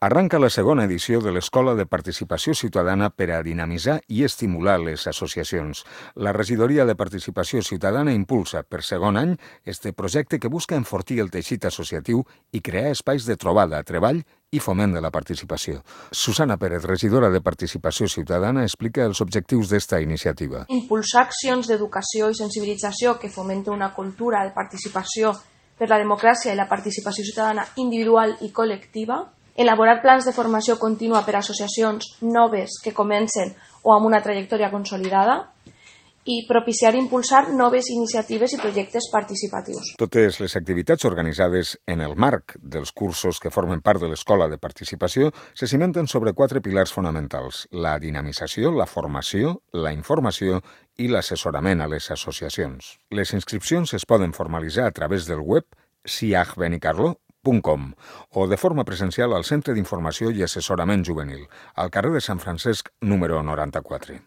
Arranca la segona edició de l'Escola de Participació Ciutadana per a dinamitzar i estimular les associacions. La Regidoria de Participació Ciutadana impulsa per segon any este projecte que busca enfortir el teixit associatiu i crear espais de trobada, treball i foment de la participació. Susana Pérez, regidora de Participació Ciutadana, explica els objectius d'esta iniciativa. Impulsar accions d'educació i sensibilització que fomenten una cultura de participació per la democràcia i la participació ciutadana individual i col·lectiva, elaborar plans de formació contínua per a associacions noves que comencen o amb una trajectòria consolidada i propiciar i impulsar noves iniciatives i projectes participatius. Totes les activitats organitzades en el marc dels cursos que formen part de l'Escola de Participació se cimenten sobre 4 pilars fonamentals: la dinamització, la formació, la informació i l'assessorament a les associacions. Les inscripcions es poden formalitzar a través del web siachbenicarló.com o de forma presencial al Centre d'Informació i Assessorament Juvenil, al carrer de Sant Francesc, número 94.